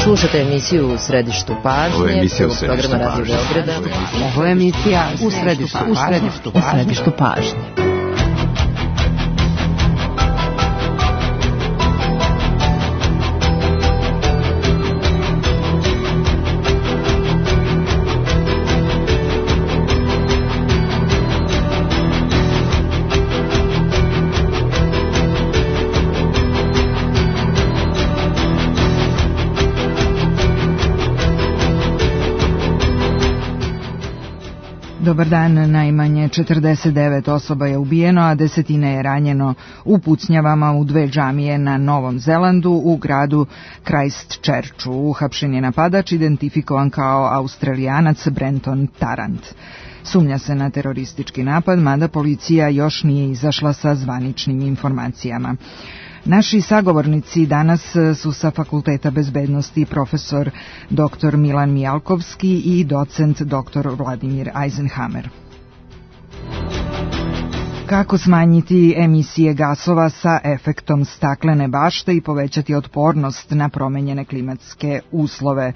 Slušate emisiju U središtu pažnje. Ovo je emisija U središtu pažnje. Radio Beograda. Ovo je emisija U središtu pažnje. Dobar dan, najmanje 49 osoba je ubijeno, a desetine je ranjeno u pucnjavama u dve džamije na Novom Zelandu u gradu Christchurchu. Uhapšen je napadač identifikovan kao Australijanac Brenton Tarrant. Sumnja se na teroristički napad, mada policija još nije izašla sa zvaničnim informacijama. Naši sagovornici danas su sa Fakulteta bezbednosti profesor dr. Milan Mijalkovski i docent dr. Vladimir Eisenhammer. Kako smanjiti emisije gasova sa efektom staklene bašte i povećati otpornost na promenjene klimatske uslove?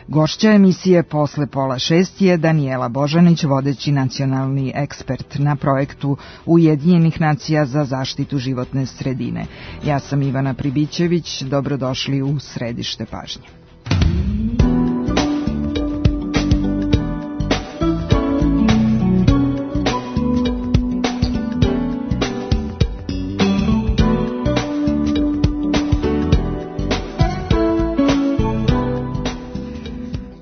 Gošća emisije posle 5:30 je Danijela Božanić, vodeći nacionalni ekspert na projektu Ujedinjenih nacija za zaštitu životne sredine. Ja sam Ivana Pribićević, dobrodošli u središte pažnje.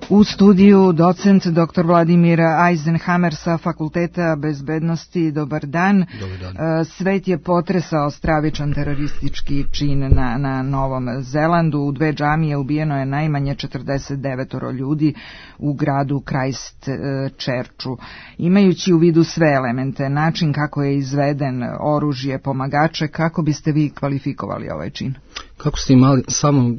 U studiju docent dr. Vladimir Eisenhammer sa Fakulteta bezbednosti. Dobar dan. Dobar dan. Svet je potresao stravičan teroristički čin na Novom Zelandu. U dve džamije ubijeno je najmanje 49 ljudi u gradu Christchurchu. Imajući u vidu sve elemente, način kako je izveden, oružje, pomagače, kako biste vi kvalifikovali ovaj čin? Kako ste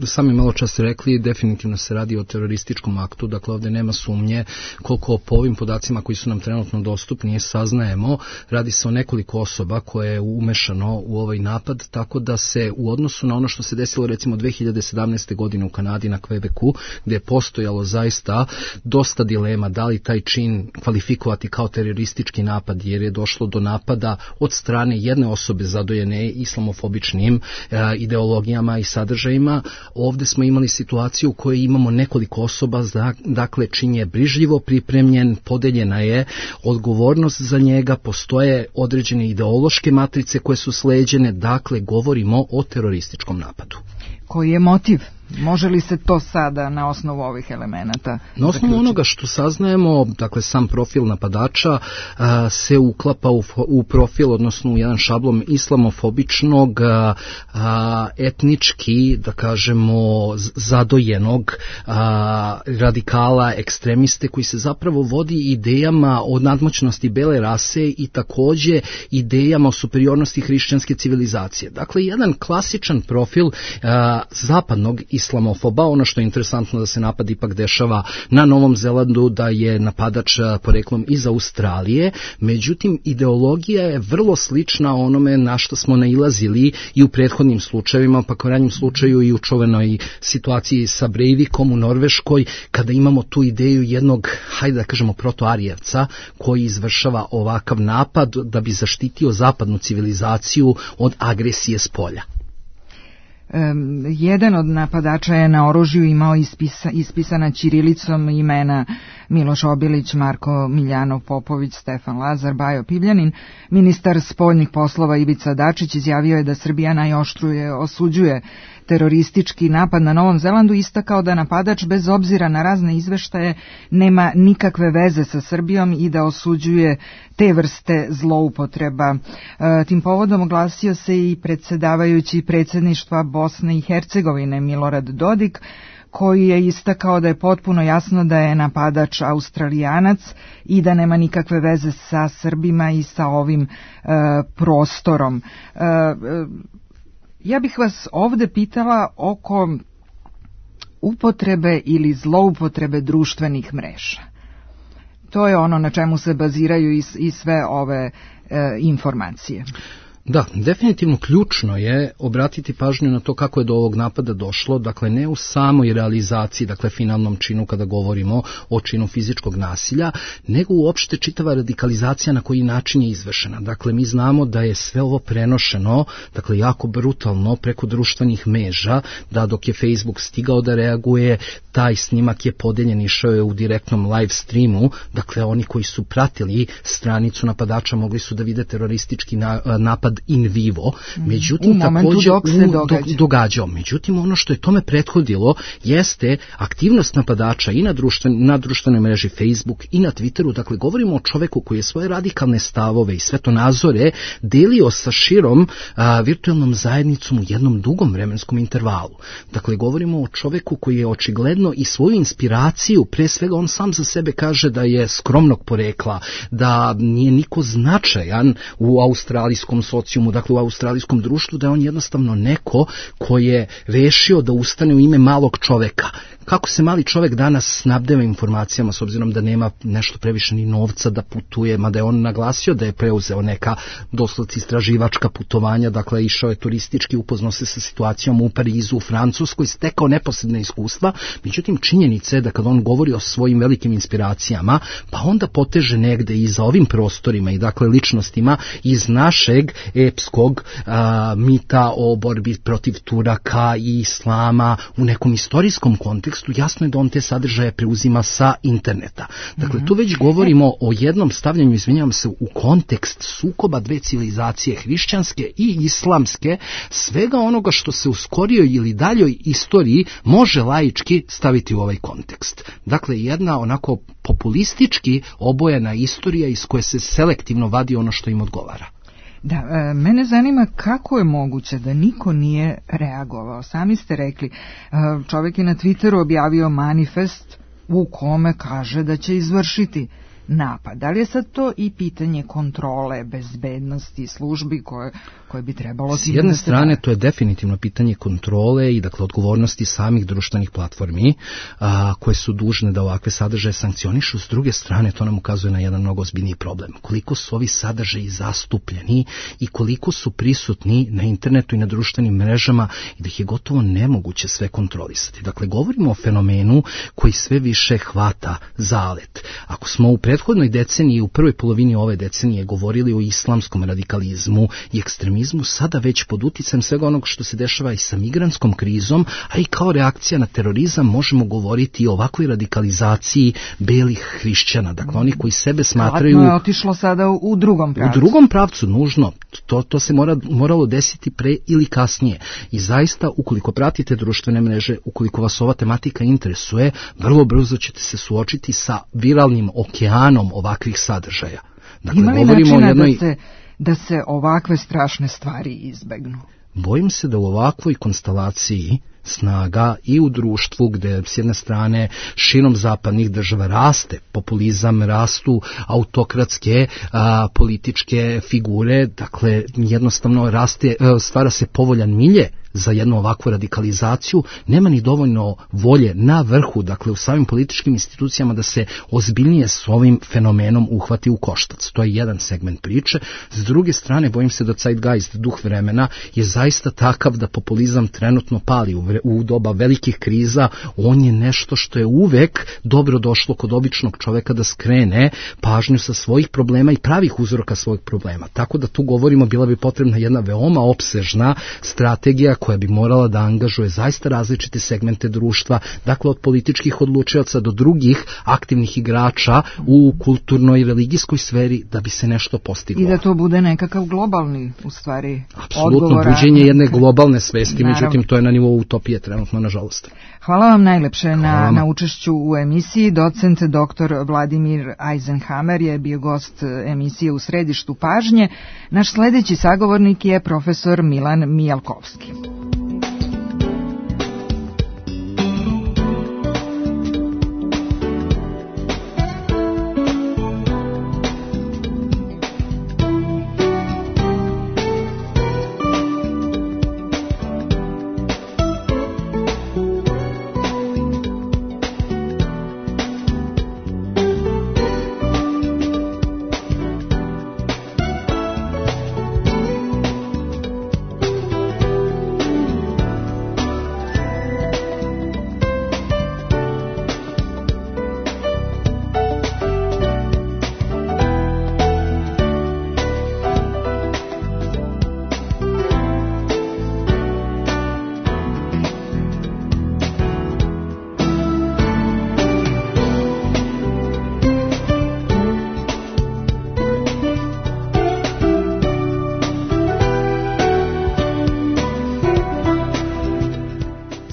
sami malo čas rekli, definitivno se radi o terorističkom aktu, dakle ovdje nema sumnje, koliko po ovim podacima koji su nam trenutno dostupni saznajemo, radi se o nekoliko osoba koje je umešano u ovaj napad, tako da se u odnosu na ono što se desilo recimo 2017. godine u Kanadi na Quebecu, gdje je postojalo zaista dosta dilema da li taj čin kvalifikovati kao teroristički napad, jer je došlo do napada od strane jedne osobe zadojene islamofobičnim ideologijama i sadržajima. Ovdje smo imali situaciju u kojoj imamo nekoliko osoba, dakle čin je brižljivo pripremljen, podeljena je odgovornost za njega, postoje određene ideološke matrice koje su sleđene, dakle govorimo o terorističkom napadu. Koji je motiv? Može li se to sada na osnovu ovih elemenata? Na osnovu onoga što saznajemo, dakle sam profil napadača se uklapa u profil, odnosno u jedan šablon islamofobičnog, etnički, da kažemo, zadojenog radikala, ekstremiste koji se zapravo vodi idejama o nadmoćnosti bele rase i također idejama o superiornosti hrišćanske civilizacije. Dakle, jedan klasičan profil zapadnog islamofoba. Ono što je interesantno da se napad ipak dešava na Novom Zelandu, da je napadač poreklom iz Australije, međutim ideologija je vrlo slična onome na što smo nailazili i u prethodnim slučajevima, pa u ranjem slučaju i u čuvenoj situaciji sa Breivikom u Norveškoj, kada imamo tu ideju jednog, hajde da kažemo, protoarijevca koji izvršava ovakav napad da bi zaštitio zapadnu civilizaciju od agresije s polja. Jedan od napadača je na oružju imao ispisana ćirilicom imena Miloš Obilić, Marko Miljanov Popović, Stefan Lazar, Bajo Pivljanin. Ministar spoljnih poslova Ivica Dačić izjavio je da Srbija najoštruje osuđuje teroristički napad na Novom Zelandu, istakao da napadač bez obzira na razne izveštaje nema nikakve veze sa Srbijom i da osuđuje te vrste zloupotreba. Tim povodom oglasio se i predsjedavajući predsjedništva Bosne i Hercegovine Milorad Dodik, koji je istakao da je potpuno jasno da je napadač Australijanac i da nema nikakve veze sa Srbima i sa ovim prostorom. Ja bih vas ovdje pitala oko upotrebe ili zloupotrebe društvenih mreža. To je ono na čemu se baziraju i sve ove informacije. Da, definitivno ključno je obratiti pažnju na to kako je do ovog napada došlo, dakle ne u samoj realizaciji, dakle finalnom činu kada govorimo o činu fizičkog nasilja, nego uopšte čitava radikalizacija na koji način je izvršena. Dakle, mi znamo da je sve ovo prenošeno, dakle jako brutalno preko društvenih mreža, da dok je Facebook stigao da reaguje, taj snimak je podeljen, išao je u direktnom live streamu, dakle oni koji su pratili stranicu napadača mogli su da vide teroristički napad in vivo, međutim također događao. Međutim, ono što je tome prethodilo jeste aktivnost napadača i na društvenoj mreži Facebook i na Twitteru. Dakle, govorimo o čoveku koji je svoje radikalne stavove i svetonazore delio sa širom virtualnom zajednicom u jednom dugom vremenskom intervalu. Dakle, govorimo o čoveku koji je očigledno i svoju inspiraciju, pre svega on sam za sebe kaže da je skromnog porekla, da nije niko značajan u australijskom socijumu, dakle u australijskom društvu, da je on jednostavno neko ko je rešio da ustane u ime malog čoveka. Kako se mali čovek danas snabdeva informacijama s obzirom da nema nešto previše ni novca da putuje, mada je on naglasio da je preuzeo neka doslovce istraživačka putovanja, dakle išao je turistički, upoznao se sa situacijom u Parizu, u Francuskoj, stekao neposredne iskustva. Međutim, činjenica je da kad on govori o svojim velikim inspiracijama, pa onda poteže negde i za ovim prostorima i dakle ličnostima iz našeg epskog mita o borbi protiv Turaka i Islama u nekom istorijskom kontekstu, jasno je da on te sadržaje preuzima sa interneta. Dakle, tu već govorimo o jednom stavljanju, izvinjavam se, u kontekst sukoba dve civilizacije, hrišćanske i islamske, svega onoga što se u skorijoj ili daljoj istoriji može laički staviti u ovaj kontekst. Dakle, jedna onako populistički obojena istorija iz koje se selektivno vadi ono što im odgovara. Da, mene zanima kako je moguće da niko nije reagovao. Sami ste rekli, čovjek je na Twitteru objavio manifest u kome kaže da će izvršiti napad. Da li je sad to i pitanje kontrole, bezbednosti, službi koje bi trebalo... S jedne strane to je definitivno pitanje kontrole i dakle odgovornosti samih društvenih platformi koje su dužne da ovakve sadržaje sankcionišu. S druge strane to nam ukazuje na jedan mnogo ozbiljniji problem. Koliko su ovi sadržaji zastupljeni i koliko su prisutni na internetu i na društvenim mrežama i da ih je gotovo nemoguće sve kontrolisati. Dakle, govorimo o fenomenu koji sve više hvata zalet. Ako smo u prethodnoj deceniji, u prvoj polovini ove decenije govorili o islamskom radikalizmu i ekstremizmu, sada već pod uticajem svega onog što se dešava i sa migrantskom krizom, a i kao reakcija na terorizam možemo govoriti o ovakvoj radikalizaciji belih hrišćana. Dakle, oni koji sebe smatraju... Vratno je otišlo sada u drugom pravcu. U drugom pravcu, nužno. To se moralo desiti pre ili kasnije. I zaista, ukoliko pratite društvene mreže, ukoliko vas ova tematika interesuje, vrlo brzo ćete se suočiti sa viralnim okeanom ovakvih sadržaja. Dakle, ima li načina da se ovakve strašne stvari izbegnu? Bojim se da u ovakvoj konstelaciji snaga i u društvu gde s jedne strane širom zapadnih država raste populizam, rastu autokratske političke figure, dakle jednostavno stvara se povoljan milje za jednu ovakvu radikalizaciju, nema ni dovoljno volje na vrhu, dakle u samim političkim institucijama da se ozbiljnije s ovim fenomenom uhvati u koštac. To je jedan segment priče. S druge strane, bojim se da zeitgeist, duh vremena, je zaista takav da populizam trenutno pali u doba velikih kriza. On je nešto što je uvek dobro došlo kod običnog čoveka da skrene pažnju sa svojih problema i pravih uzroka svojih problema. Tako da tu govorimo, bila bi potrebna jedna veoma opsežna strategija koja bi morala da angažuje zaista različite segmente društva, dakle od političkih odlučioca do drugih aktivnih igrača u kulturnoj i religijskoj sferi da bi se nešto postiglo. I da to bude nekakav globalni, u stvari, apsolutno, buđenje jedne globalne svesti, međutim to je na nivou utopije trenutno, nažalost. Hvala vam najlepše na učešću u emisiji. Docent dr. Vladimir Eisenhammer je bio gost emisije U središtu pažnje. Naš sledeći sagovornik je profesor Milan Mijalkovski.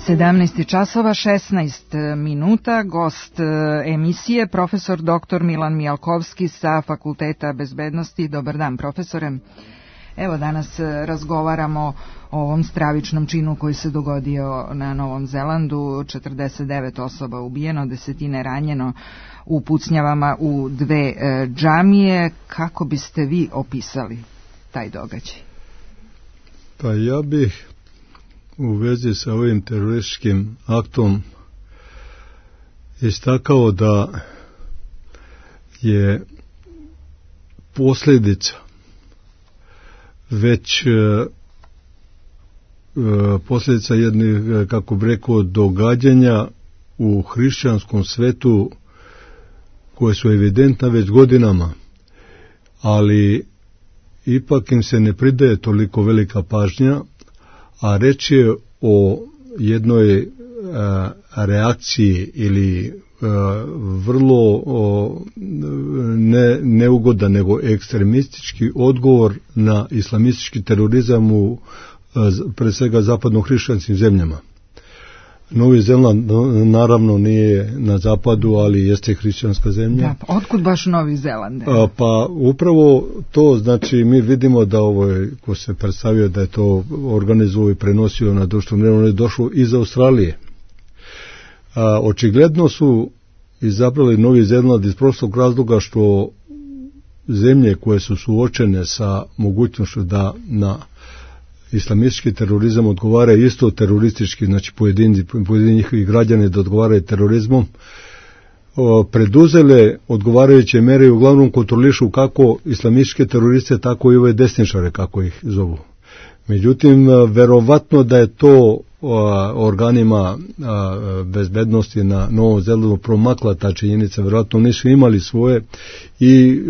17 časova 16 minuta, gost emisije profesor dr. Milan Mijalkovski sa Fakulteta bezbednosti. Dobar dan, profesore. Evo, danas razgovaramo o ovom stravičnom činu koji se dogodio na Novom Zelandu. 49 osoba ubijeno, desetine ranjeno u pucnjavama u dve džamije. Kako biste vi opisali taj događaj? Pa ja bih u vezi sa ovim terorističkim aktom istakao da je posljedica već posljedica jednih, kako bi rekao, događanja u hrišćanskom svetu koje su evidentna već godinama, ali ipak im se ne pridaje toliko velika pažnja, a reč je o jednoj reakciji ili vrlo ne neugodan nego ekstremistički odgovor na islamistički terorizam u pre svega zapadno-hrišćanskim zemljama. Novi Zeland naravno nije na zapadu, ali jeste hrišćanska zemlja. Da, pa otkud baš Novi Zeland? Pa upravo to, znači mi vidimo da ovo ko se predstavio da je to organizovao i prenosio na društvo, on je došao iz Australije. Očigledno su izabrali Novi Zeland iz prostog razloga što zemlje koje su suočene sa mogućnošću da na islamistički terorizam odgovaraju isto teroristički, znači pojedini njihovi građani da odgovaraju terorizmom, preduzele odgovarajuće mere i uglavnom kontrolišu kako islamističke teroriste, tako i ove desničare, kako ih zovu. Međutim, verovatno da je to organima bezbednosti na Novom Zelandu promakla ta činjenica, verovatno nisu imali svoje i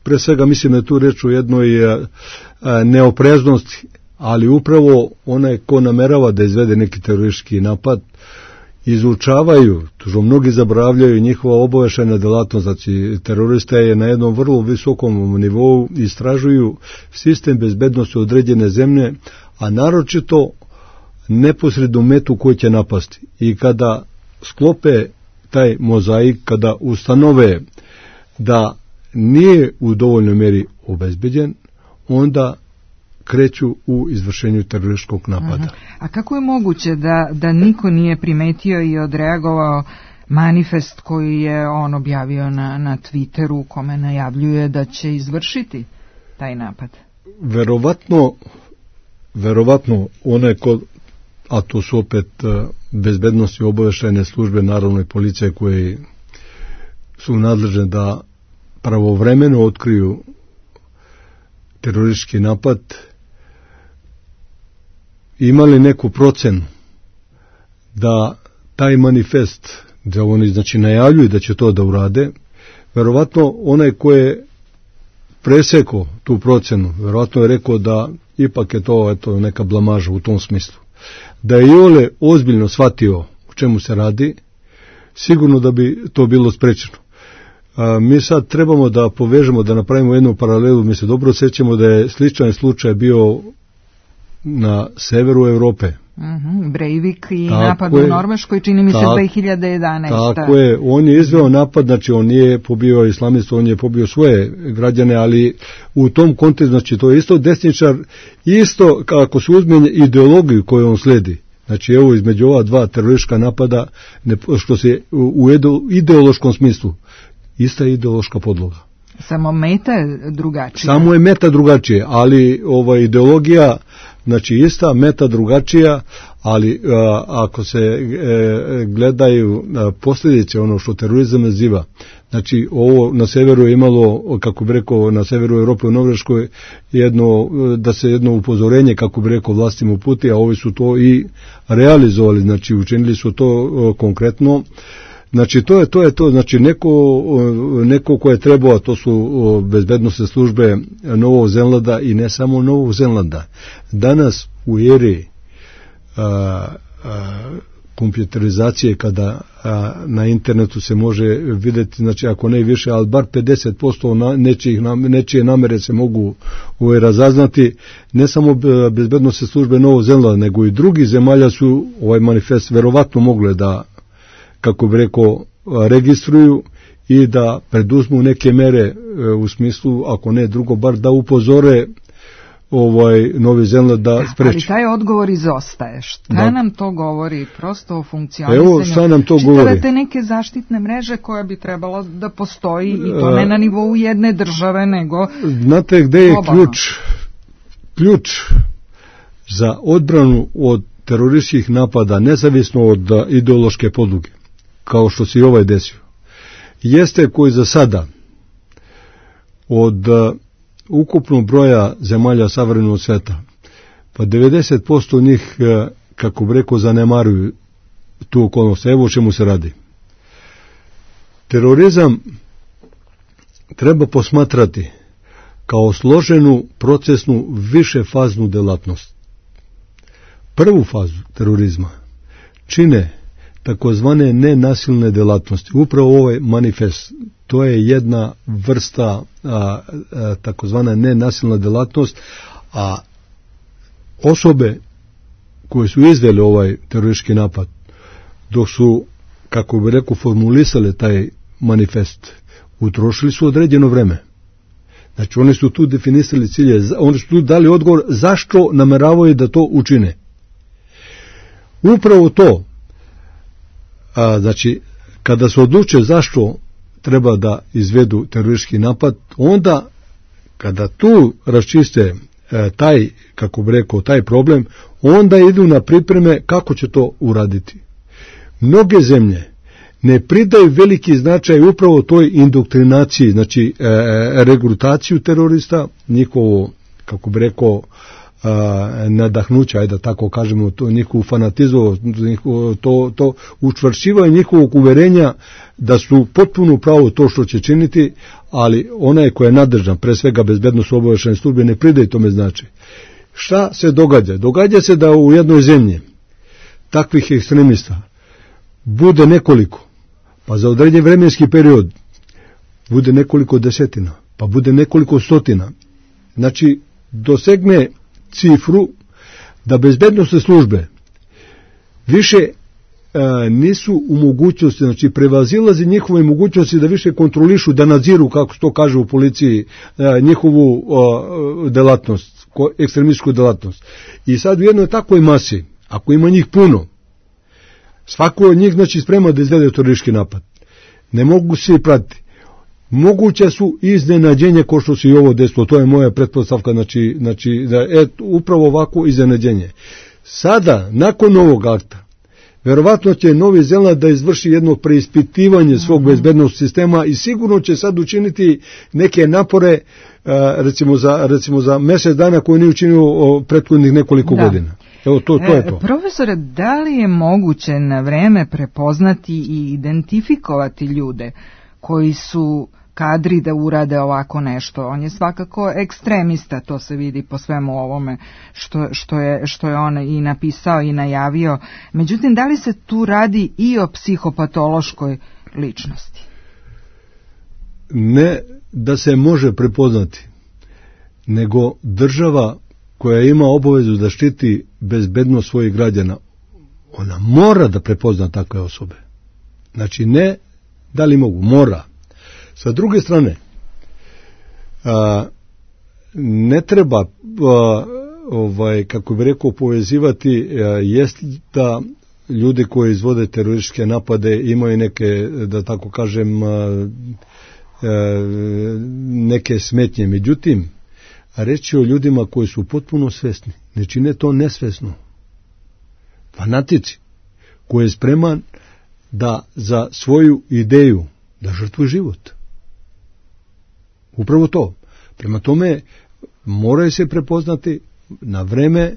pre svega mislim da je tu reč o jednoj neopreznosti, ali upravo onaj ko namerava da izvede neki teroristički napad izučavaju, što mnogi zaboravljaju, njihova obaveštajna delatnost, znači terorista je na jednom vrlo visokom nivou, istražuju sistem bezbednosti određene zemlje, a naročito neposrednu metu koju će napasti. I kada sklope taj mozaik, kada ustanove da nije u dovoljnoj meri obezbeđen, onda kreću u izvršenju terorističkog napada. A kako je moguće da niko nije primetio i odreagovao manifest koji je on objavio na Twitteru, u kome najavljuje da će izvršiti taj napad? Verovatno onaj ko, a to su opet bezbednosti obaveštajne službe, naravno i policije koje su nadležne da pravovremeno otkriju teroristički napad, imali neku procenu da taj manifest, da oni znači najavljuju da će to da urade, verovatno onaj ko je presekao tu procenu, verovatno je rekao da ipak je to neka blamaža u tom smislu. Da je Iole ozbiljno shvatio o čemu se radi, sigurno da bi to bilo sprečeno. Mi sad trebamo da povežemo, da napravimo jednu paralelu. Mi se dobro sjećamo da je sličan slučaj bio na severu Europe. Breivik i napad u Norveškoj, čini mi se 2011. Tako je, on je izveo napad, znači on nije pobio islamistu, on je pobio svoje građane, ali u tom kontekstu, znači to je isto desničar, isto kako se uzme ideologiju koju on sledi. Znači evo između ova dva teroristička napada, što se u ideološkom smislu, ista ideološka podloga. Samo meta je drugačija. Samo je meta drugačije, ali ova ideologija, znači ista, meta drugačija, ali ako se gledaju posljedice, ono što terorizam naziva, znači ovo na severu je imalo, kako bi rekao, na severu Europe u Norveškoj da se jedno upozorenje, kako bi rekao, vlastima uputi, a ovi su to i realizovali, znači učinili su to konkretno. Znači to je to, znači neko ko je trebao, a to su bezbednosne službe Novog Zelanda i ne samo Novog Zelanda. Danas u eri kompjuterizacije, kada na internetu se može vidjeti, znači ako ne više, ali bar 50% nečije namere se mogu razaznati. Ne samo bezbednosne službe Novog Zelanda, nego i drugih zemalja su ovaj manifest verovatno mogle da, kako bi rekao, registruju i da preduzmu neke mere u smislu, ako ne drugo, bar da upozore Novi Zeland da spreči. Ali taj odgovor izostaje. Šta nam to govori prosto o funkcionisanju? Evo šta nam to govori. Čitavate neke zaštitne mreže koja bi trebalo da postoji i to ne na nivou jedne države, nego... Znate gde je ključ za odbranu od terorističkih napada, nezavisno od ideološke podloge, kao što se i ovaj desio, jeste koji za sada od ukupnog broja zemalja savremenog sveta, pa 90% njih, kako bi rekao, zanemaruju tu okolnost. Evo o čemu se radi. Terorizam treba posmatrati kao složenu, procesnu, višefaznu delatnost. Prvu fazu terorizma čine takozvane nenasilne delatnosti. Upravo ovaj manifest, to je jedna vrsta takozvana nenasilna delatnost, a osobe koje su izvele ovaj teroristički napad, dok su, kako bi rekao, formulisale taj manifest, utrošili su određeno vreme. Znači oni su tu definisali cilje, oni su tu dali odgovor zašto nameravaju da to učine. Upravo to, znači, kada se odluče zašto treba da izvedu teroristički napad, onda kada tu raščiste taj, kako bi rekao, taj problem, onda idu na pripreme kako će to uraditi. Mnoge zemlje ne pridaju veliki značaj upravo toj indoktrinaciji, znači regrutaciju terorista, njihovo, kako bi rekao, nadahnuća, ajde da tako kažemo, to njihovu fanatizmu, to učvršćivanje njihovog uverenja da su potpuno pravo to što će činiti, ali onaj ko je nadležan, pre svega bezbednosno obaveštajne službe, ne pridaje tome značaj. Šta se događa? Događa se da u jednoj zemlji takvih ekstremista bude nekoliko, pa za određen vremenski period bude nekoliko desetina, pa bude nekoliko stotina. Znači, dosegne cifru da bezbednosne službe više nisu u mogućnosti, znači prevazilazi njihove mogućnosti da više kontrolišu, da nadziru, kako se to kaže u policiji, njihovu delatnost, ekstremističku delatnost. I sad u jednoj takvoj masi, ako ima njih puno, svako od njih, znači, sprema da izvede teroristički napad. Ne mogu se pratiti. Moguće su iznenađenje ko što se i ovo desilo, to je moja pretpostavka, znači da je upravo ovako iznenađenje. Sada, nakon ovog akta, verovatno će Novi Zeland da izvrši jedno preispitivanje svog bezbednosnog sistema i sigurno će sad učiniti neke napore, recimo za mjesec dana koje nije učinio prethodnih nekoliko godina. Evo, to je to. Profesore, da li je moguće na vreme prepoznati i identifikovati ljude koji su kadri da urade ovako nešto? On je svakako ekstremista, to se vidi po svemu ovome što je on i napisao i najavio. Međutim, da li se tu radi i o psihopatološkoj ličnosti? Ne da se može prepoznati, nego država koja ima obavezu da štiti bezbednost svojih građana, ona mora da prepozna takve osobe. Znači, ne da li mogu, mora. Sa druge strane, ne treba, kako bi rekao, povezivati, jest da ljudi koji izvode terorističke napade imaju neke, da tako kažem, neke smetnje. Međutim, reći o ljudima koji su potpuno svesni, ne čine to nesvesno. Fanatici, koji je spreman da za svoju ideju da žrtvuje život. Upravo to. Prema tome, moraju se prepoznati na vreme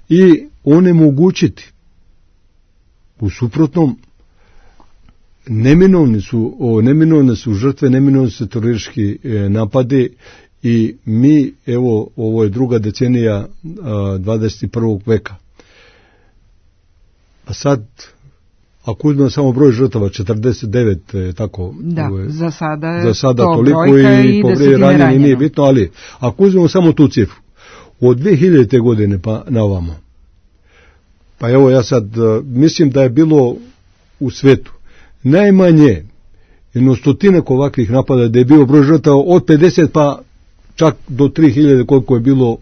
i onemogućiti. U suprotnom, neminovne su žrtve, neminovne su teroristički napadi i mi, evo, ovo je druga decenija 21. veka. A sad, ako uzmemo samo broj žrtava, 49, tako... Da, za sada to toliko i povrijedi ranjeni nije bitno, ali ako uzmemo samo tu cifru, od 2000. godine pa na ovamo, pa evo ja sad mislim da je bilo u svetu najmanje 100 ovakvih napada, da je bio broj žrtava od 50 pa čak do 3000 koliko je bilo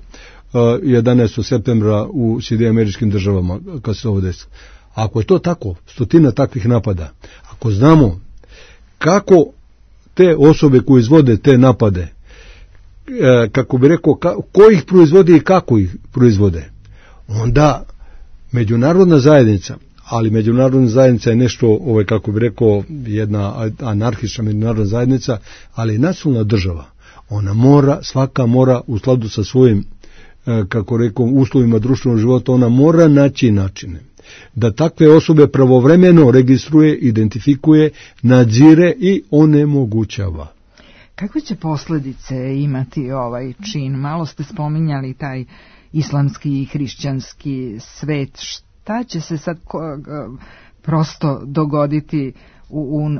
11. septembra u Sjedinjenim Državama kad se ovo desilo. Ako je to tako, 100 takvih napada, ako znamo kako te osobe koje izvode te napade, kako bi rekao, ko ih proizvodi i kako ih proizvode, onda međunarodna zajednica, ali međunarodna zajednica je nešto, kako bi rekao, jedna anarhična međunarodna zajednica, ali nacionalna država, ona mora, svaka mora u skladu sa svojim, kako rekao, uslovima društvenog života, ona mora naći načine da takve osobe pravovremeno registruje, identifikuje, nadzire i onemogućava. Kakve će posljedice imati ovaj čin? Malo ste spominjali taj islamski i hrišćanski svet. Šta će se sad prosto dogoditi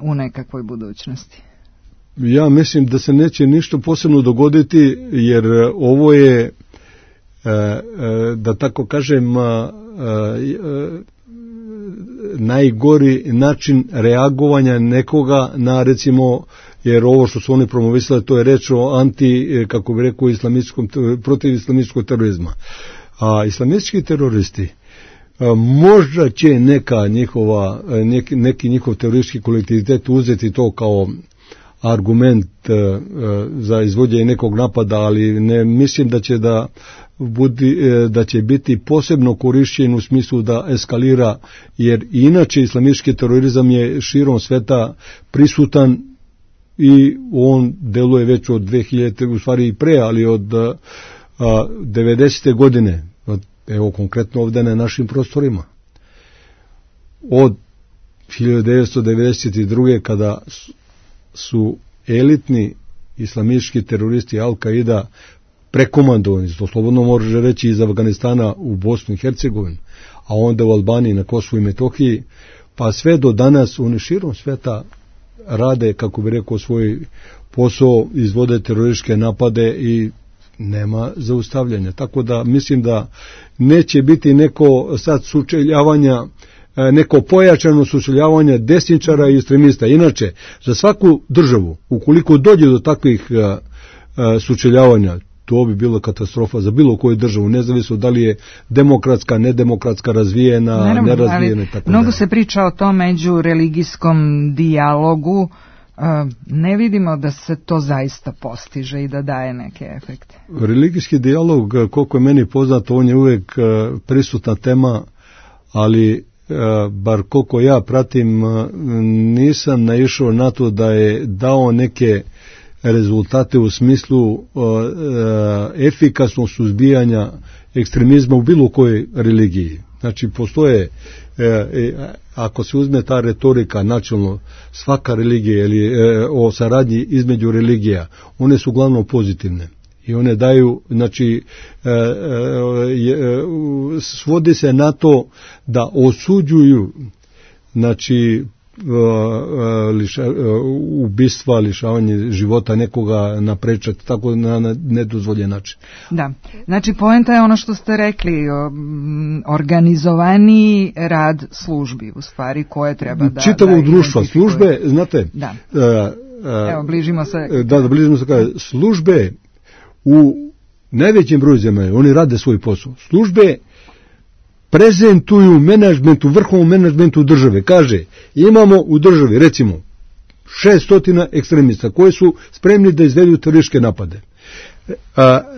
u nekakvoj budućnosti? Ja mislim da se neće ništa posebno dogoditi, jer ovo je, da tako kažem, najgori način reagovanja nekoga na, recimo, jer ovo što su oni promovisali, to je reč o kako bi rekao, protiv islamističkog terorizma. A islamistički teroristi, možda će neki njihov teroristički kolektivitet uzeti to kao argument za izvođenje nekog napada, ali ne mislim da će biti posebno korišćen u smislu da eskalira, jer inače islamistički terorizam je širom sveta prisutan i on deluje već od 2000, u stvari i pre, ali od 90. godine, evo konkretno ovdje na našim prostorima. Od 1992. kada su elitni islamistički teroristi Al-Qaida prekomandovani, to slobodno može reći, iz Afganistana u Bosnu i Hercegovinu, a onda u Albaniji, na Kosovu i Metohiji, pa sve do danas oni širom sveta rade, kako bi rekao, svoj posao, izvode terorističke napade i nema zaustavljanja. Tako da mislim da neće biti neko sad sučeljavanja, neko pojačano sučeljavanje desničara i ekstremista. Inače, za svaku državu, ukoliko dođe do takvih sučeljavanja, to bi bila katastrofa za bilo koju državu, nezavisno da li je demokratska, nedemokratska, razvijena, naravno, nerazvijena. Mnogo se priča o tom međureligijskom dijalogu. Ne vidimo da se to zaista postiže i da daje neke efekte. Religijski dijalog, koliko je meni poznato, on je uvijek prisutna tema, ali bar koliko ja pratim, nisam naišao na to da je dao neke rezultate u smislu efikasnog suzbijanja ekstremizma u bilo kojoj religiji. Znači, postoje, ako se uzme ta retorika načelno, svaka religija ili o saradnji između religija, one su uglavnom pozitivne. I one daju, znači, svodi se na to da osuđuju, znači, ubistva, lišavanje života nekoga naprečati, tako na nedozvoljen način. Da, znači poenta je ono što ste rekli, organizovaniji rad službi, u stvari, koje treba da... Čitavog društva, službe, znate... Da. Evo, bližimo se... bližimo se, službe u najvećem broju zemalja, oni rade svoj posao. Službe prezentuju menadžmentu, vrhovnom menadžmentu države. Kaže, imamo u državi, recimo, 600 ekstremista koji su spremni da izvedu terorističke napade.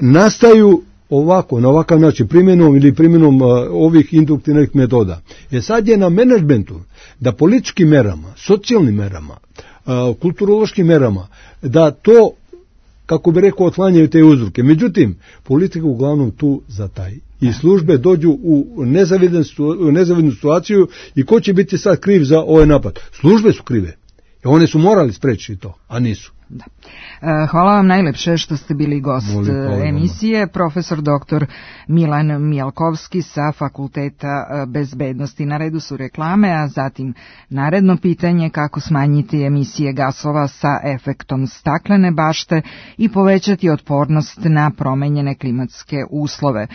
Nastaju ovako, na ovakav način, primjenom ovih induktivnih metoda. Sad je na menadžmentu da političkim merama, socijalnim merama, kulturološkim merama, da to, kako bi rekao, otklanjaju te uzroke. Međutim, politika uglavnom tu zataji. I službe dođu u nezavidnu situaciju i ko će biti sad kriv za ovaj napad? Službe su krive. One su morali spriječiti to, a nisu. Da. Hvala vam najlepše što ste bili gost emisije. Profesor dr. Milan Mijalkovski sa Fakulteta bezbednosti. Na redu su reklame, a zatim naredno pitanje kako smanjiti emisije gasova sa efektom staklene bašte i povećati otpornost na promenjene klimatske uslove.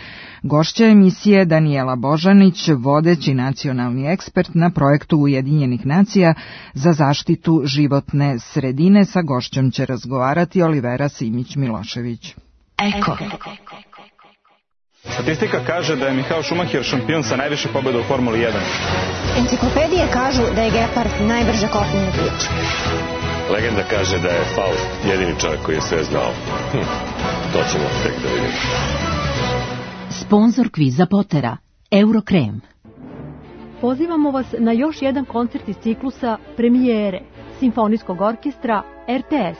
Gošća emisije Danijela Božanić, vodeći nacionalni ekspert na projektu Ujedinjenih nacija za zaštitu životne sredine. Sa gošćom će razgovarati Olivera Simić-Milošević. Eko. Statistika kaže da je Michael Schumacher šampion sa najviše pobjeda u Formuli 1. Enciklopedije kažu da je gepard najbrže kopneni ptič. Legenda kaže da je Faust jedini čovjek koji je sve znao. To ćemo tek da vidimo. Sponzor kviza Potera, Eurokrem. Pozivamo vas na još jedan koncert iz ciklusa Premijere Simfonijskog orkestra RTS.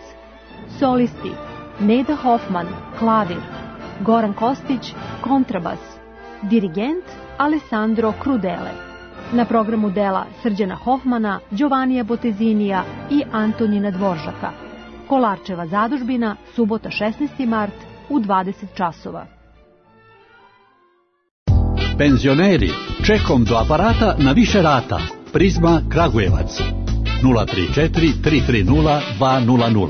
Solisti Neda Hoffman, klavir, Goran Kostić, kontrabas, dirigent Alessandro Crudele. Na programu dela Srđana Hoffmana, Giovannija Botezinija i Antonina Dvoržaka. Kolarčeva zadužbina, subota 16. mart u 20 časova. Penzioneri, čekom do aparata na više rata. Prizma Kragujevac 034 330 200.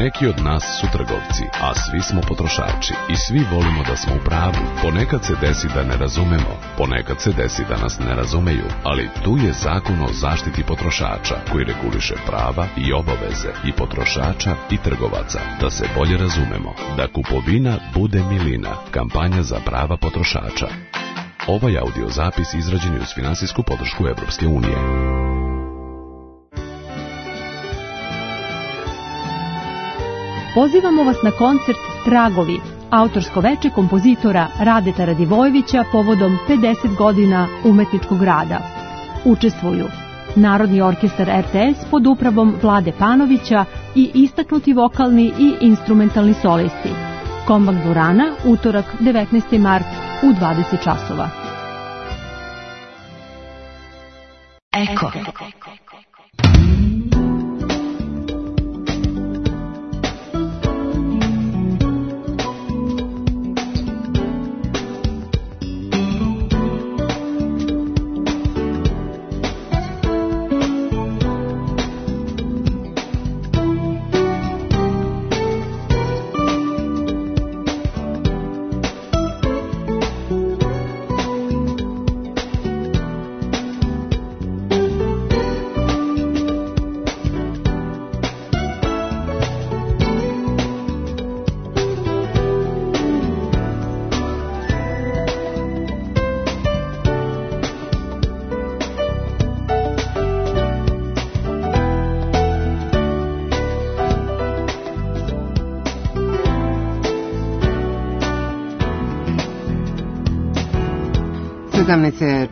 Neki od nas su trgovci, a svi smo potrošači i svi volimo da smo u pravu. Ponekad se desi da ne razumemo, ponekad se desi da nas ne razumeju, ali tu je Zakon o zaštiti potrošača koji reguliše prava i obaveze i potrošača i trgovaca. Da se bolje razumemo, da kupovina bude milina. Kampanja za prava potrošača. Ovaj audio zapis izrađen je uz finansijsku podršku Evropske unije. Pozivamo vas na koncert Tragovi, autorsko veče kompozitora Radeta Radivojevića povodom 50 godina umetničkog rada. Učestvuju Narodni orkestar RTS pod upravom Vlade Panovića i istaknuti vokalni i instrumentalni solisti. Kombak dvorana, utorak 19. mart u 20 časova. Eko.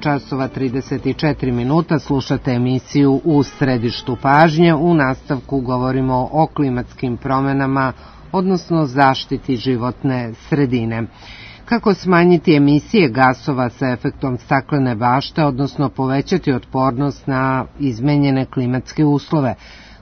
Časova 34 minuta, slušate emisiju U središtu pažnje. U nastavku govorimo o klimatskim promenama, odnosno zaštiti životne sredine. Kako smanjiti emisije gasova sa efektom staklene bašte, odnosno povećati otpornost na izmenjene klimatske uslove?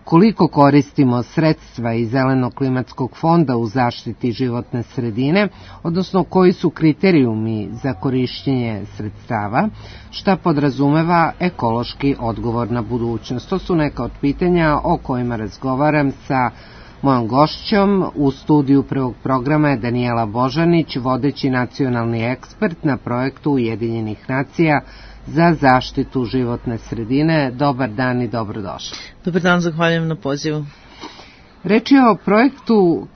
Koliko koristimo sredstva iz Zelenog klimatskog fonda u zaštiti životne sredine, odnosno koji su kriterijumi za korišćenje sredstava, šta podrazumeva ekološki odgovor na budućnost. To su neka od pitanja o kojima razgovaram sa mojom gošćom. U studiju prvog programa je Danijela Božanić, vodeći nacionalni ekspert na projektu Ujedinjenih nacija za zaštitu životne sredine. Dobar dan i dobrodošli. Dobar dan, zahvaljujem na pozivu. Reč je o projektu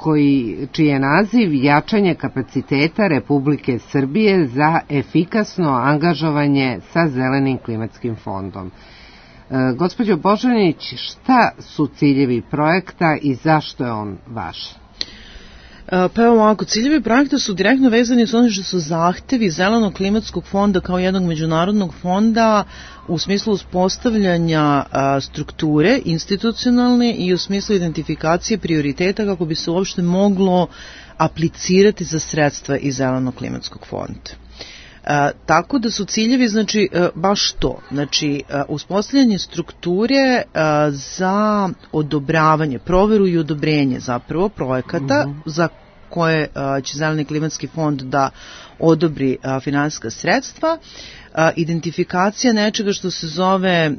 čiji je naziv jačanje kapaciteta Republike Srbije za efikasno angažovanje sa Zelenim klimatskim fondom. Gospođo Božanić, šta su ciljevi projekta i zašto je on važan? Pa evo ovako, ciljevi projekta su direktno vezani s onim što su zahtevi Zelenog klimatskog fonda kao jednog međunarodnog fonda u smislu uspostavljanja strukture institucionalne i u smislu identifikacije prioriteta kako bi se uopšte moglo aplicirati za sredstva iz Zelenog klimatskog fonda. Tako da su ciljevi, znači, baš to. Znači, uspostavljanje strukture za odobravanje, proveru i odobrenje zapravo projekata za koje će Zeleni klimatski fond da odobri finansijska sredstva, identifikacija nečega što se zove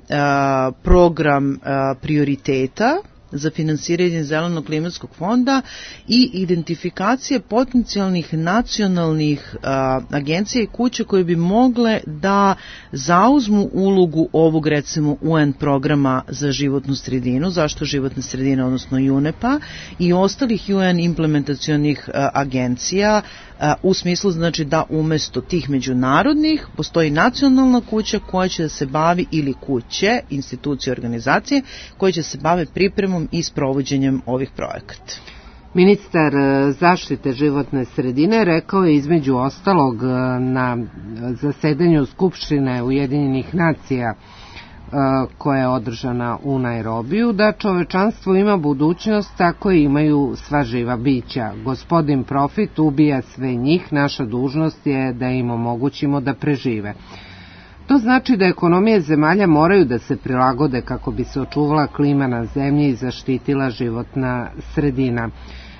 program prioriteta za finansiranje Zelenog klimatskog fonda i identifikacije potencijalnih nacionalnih agencija i kuće koje bi mogle da zauzmu ulogu ovog, recimo, UN programa za životnu sredinu, zašto životna sredina, odnosno UNEP-a i ostalih UN implementacionih agencija, u smislu, znači, da umesto tih međunarodnih postoji nacionalna kuća koja će da se bavi, ili kuće, institucije, organizacije koje će se bave pripremom i sprovođenjem ovih projekata. Ministar zaštite životne sredine rekao je između ostalog na zasedanju Skupštine Ujedinjenih nacija koja je održana u Nairobiju, da čovečanstvo ima budućnost tako i imaju sva živa bića. Gospodin Profit ubija sve njih, naša dužnost je da im omogućimo da prežive. To znači da ekonomije zemalja moraju da se prilagode kako bi se očuvala klima na zemlji i zaštitila životna sredina.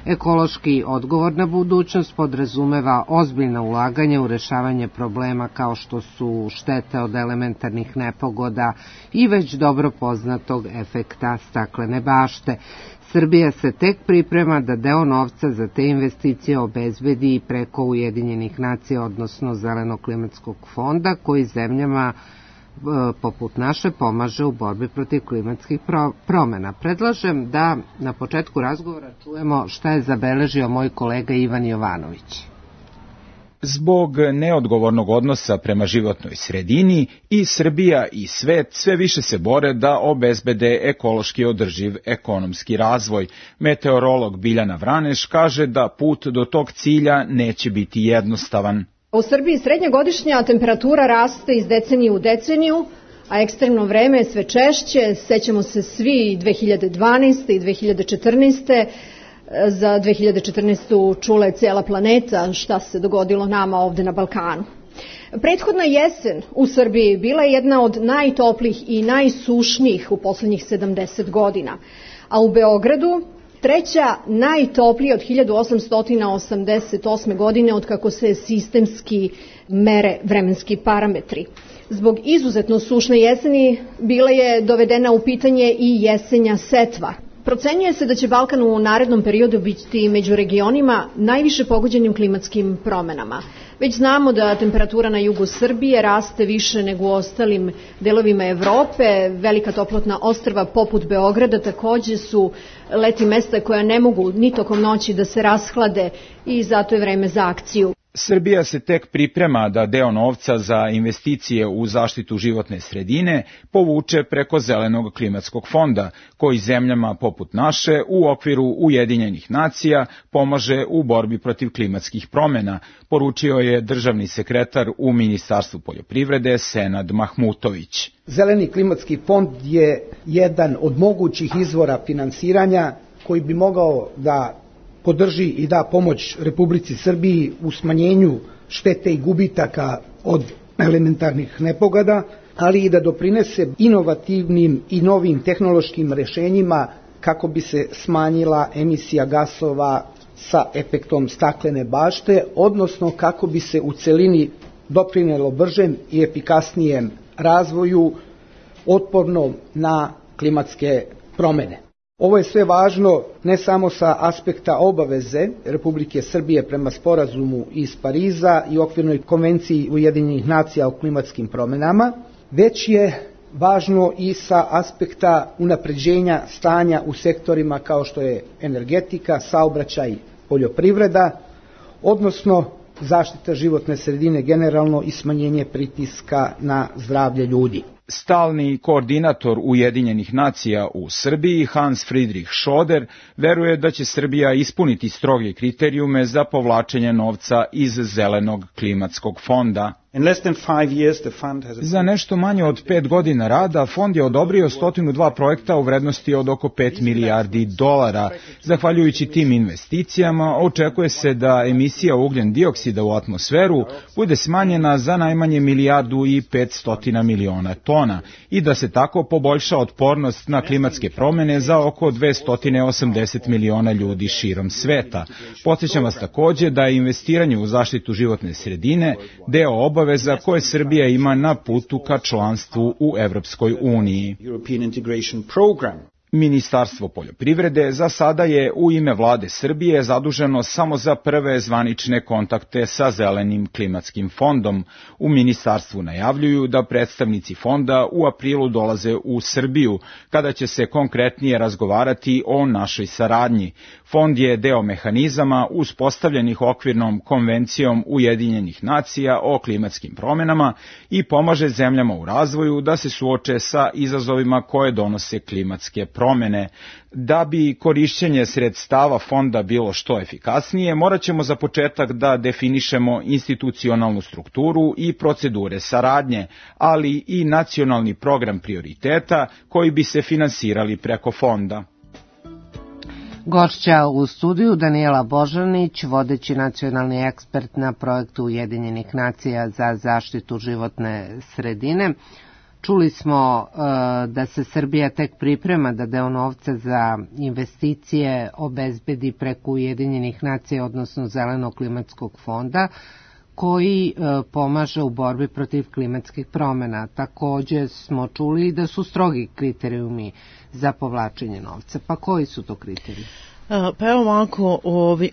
Ekološki odgovorna budućnost podrazumeva ozbiljna ulaganja u rešavanje problema kao što su štete od elementarnih nepogoda i već dobro poznatog efekta staklene bašte. Srbija se tek priprema da deo novca za te investicije obezbedi i preko Ujedinjenih nacija, odnosno Zelenog klimatskog fonda, koji zemljama poput naše pomaže u borbi protiv klimatskih promena. Predlažem da na početku razgovora čujemo šta je zabeležio moj kolega Ivan Jovanović. Zbog neodgovornog odnosa prema životnoj sredini i Srbija i svet sve više se bore da obezbede ekološki održiv ekonomski razvoj. Meteorolog Biljana Vraneš kaže da put do tog cilja neće biti jednostavan. U Srbiji srednja godišnja temperatura raste iz decenije u deceniju, a ekstremno vreme je sve češće. Sećamo se svi 2012. i 2014. Za 2014. čula je cijela planeta šta se dogodilo nama ovde na Balkanu. Prethodna jesen u Srbiji bila je jedna od najtoplijih i najsušnijih u poslednjih 70 godina, a u Beogradu treća najtoplija od 1888. godine od kako se sistemski mere vremenski parametri. Zbog izuzetno sušne jeseni bila je dovedena u pitanje i jesenja setva. Procenjuje se da će Balkan u narednom periodu biti među regionima najviše pogođenim klimatskim promenama. Već znamo da temperatura na jugu Srbije raste više nego u ostalim delovima Evrope. Velika toplotna ostrva poput Beograda takođe su leti mesta koja ne mogu ni tokom noći da se rashlade i zato je vreme za akciju. Srbija se tek priprema da deo novca za investicije u zaštitu životne sredine povuče preko Zelenog klimatskog fonda, koji zemljama poput naše u okviru Ujedinjenih nacija pomaže u borbi protiv klimatskih promena, poručio je državni sekretar u Ministarstvu poljoprivrede Senad Mahmutović. Zeleni klimatski fond je jedan od mogućih izvora finansiranja koji bi mogao da podrži i da pomoć Republici Srbiji u smanjenju štete i gubitaka od elementarnih nepogoda, ali i da doprinese inovativnim i novim tehnološkim rešenjima kako bi se smanjila emisija gasova sa efektom staklene bašte, odnosno kako bi se u celini doprinelo bržem i efikasnijem razvoju otpornom na klimatske promene. Ovo je sve važno ne samo sa aspekta obaveze Republike Srbije prema sporazumu iz Pariza i okvirnoj konvenciji Ujedinjenih nacija o klimatskim promenama, već je važno i sa aspekta unapređenja stanja u sektorima kao što je energetika, saobraćaj, poljoprivreda, odnosno zaštita životne sredine generalno i smanjenje pritiska na zdravlje ljudi. Stalni koordinator Ujedinjenih nacija u Srbiji, Hans Friedrich Schoder, veruje da će Srbija ispuniti stroge kriterijume za povlačenje novca iz Zelenog klimatskog fonda. Za nešto manje od 5 godina rada, fond je odobrio 102 projekta u vrednosti od oko 5 milijardi dolara. Zahvaljujući tim investicijama, očekuje se da emisija ugljen dioksida u atmosferu bude smanjena za najmanje 1,5 milijardi tona i da se tako poboljša otpornost na klimatske promene za oko 280 miliona ljudi širom sveta. Podsjećam vas takođe da je investiranje u zaštitu životne sredine deo obaveza koje Srbija ima na putu ka članstvu u Evropskoj uniji. Ministarstvo poljoprivrede za sada je u ime vlade Srbije zaduženo samo za prve zvanične kontakte sa Zelenim klimatskim fondom. U ministarstvu najavljuju da predstavnici fonda u aprilu dolaze u Srbiju, kada će se konkretnije razgovarati o našoj saradnji. Fond je deo mehanizama uspostavljenih okvirnom konvencijom Ujedinjenih nacija o klimatskim promenama i pomaže zemljama u razvoju da se suoče sa izazovima koje donose klimatske promene. Da bi korišćenje sredstava fonda bilo što efikasnije, morat ćemo za početak da definišemo institucionalnu strukturu i procedure saradnje, ali i nacionalni program prioriteta koji bi se finansirali preko fonda. Gošća u studiju Danijela Božanić, vodeći nacionalni ekspert na projektu Ujedinjenih nacija za zaštitu životne sredine. Čuli smo da se Srbija tek priprema da deo novca za investicije obezbedi preko Ujedinjenih nacija, odnosno Zelenog klimatskog fonda, koji pomaže u borbi protiv klimatskih promena. Takođe smo čuli da su strogi kriterijumi za povlačenje novca. Pa koji su to kriterijumi? Pa evo ovako,